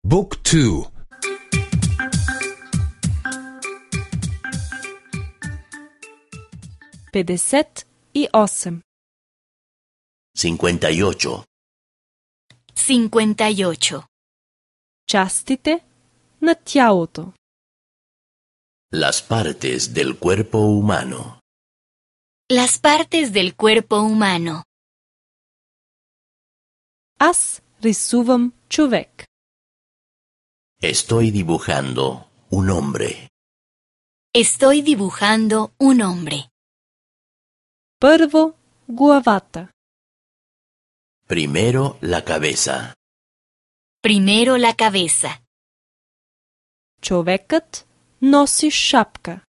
Book 2. 58. 58. 58. Частите на тялото. Las partes del cuerpo humano. Las partes del cuerpo humano. Аз рисувам човек. Estoy dibujando un hombre. Estoy dibujando un hombre. Първо главата. Primero la cabeza. Primero la cabeza. Човекът носи шапка.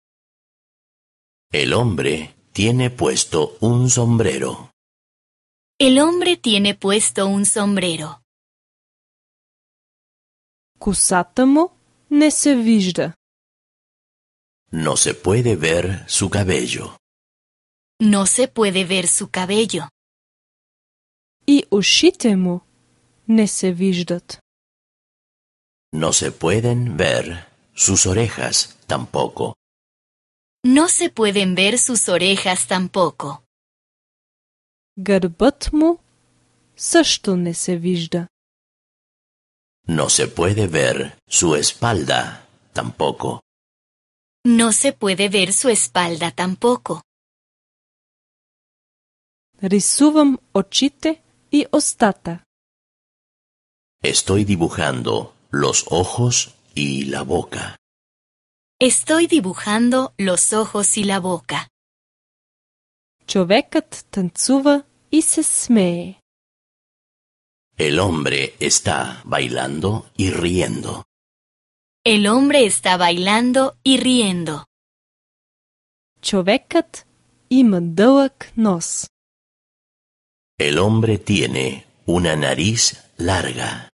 El hombre tiene puesto un sombrero. El hombre tiene puesto un sombrero. Косата му не се вижда. No se puede ver su cabello. No se puede ver su cabello. И ушите му не се виждат. No se pueden ver sus orejas tampoco. No se pueden ver sus orejas tampoco. Гърбът му също не се вижда. No se puede ver su espalda tampoco. No se puede ver su espalda tampoco. Рисувам очите и устата. Estoy dibujando los ojos y la boca. Estoy dibujando los ojos y la boca. Човекът танцува и се смее. El hombre está bailando y riendo. El hombre está bailando y riendo. Човекът има дълъг нос. El hombre tiene una nariz larga.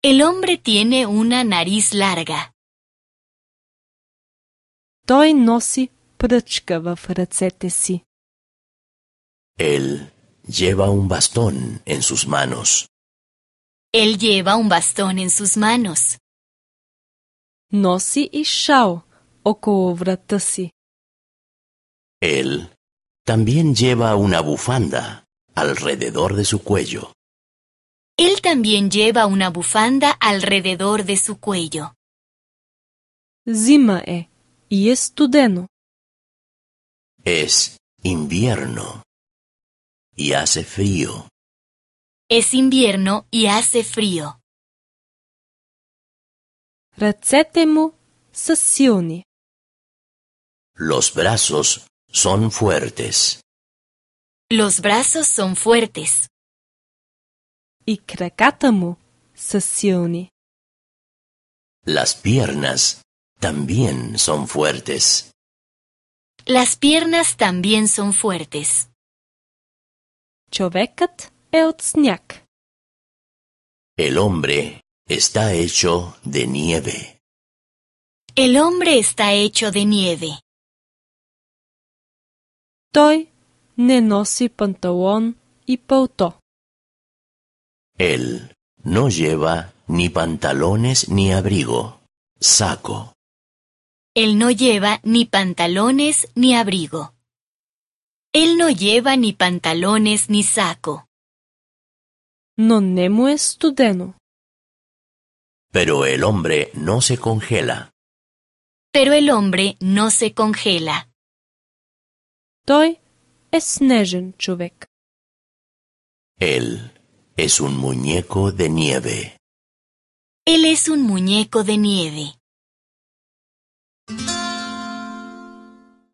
El hombre tiene una nariz larga. Той носи пръчка в ръцете си. Él lleva un bastón en sus manos. Él lleva un bastón en sus manos. Носи и шал около врата си. Él también lleva una bufanda alrededor de su cuello. Él también lleva una bufanda alrededor de su cuello. Зима е и е студено. Es invierno y hace frío. Es invierno y hace frío. Ръцете му са силни. Los brazos son fuertes. Los brazos son fuertes. И краката му са силни. Las piernas también son fuertes. Las piernas también son fuertes. Човекът е от сняг. El hombre está hecho de nieve. El hombre está hecho de nieve. Той не носи панталон и пълто. Él no lleva ni pantalones ni abrigo, saco. Él no lleva ni pantalones ni abrigo. Él no lleva ni pantalones ni saco. Но не му е студено. Pero el hombre no se congela. Pero el hombre no se congela. Той е снежен човек. Él es un muñeco de nieve. Él es un muñeco de nieve.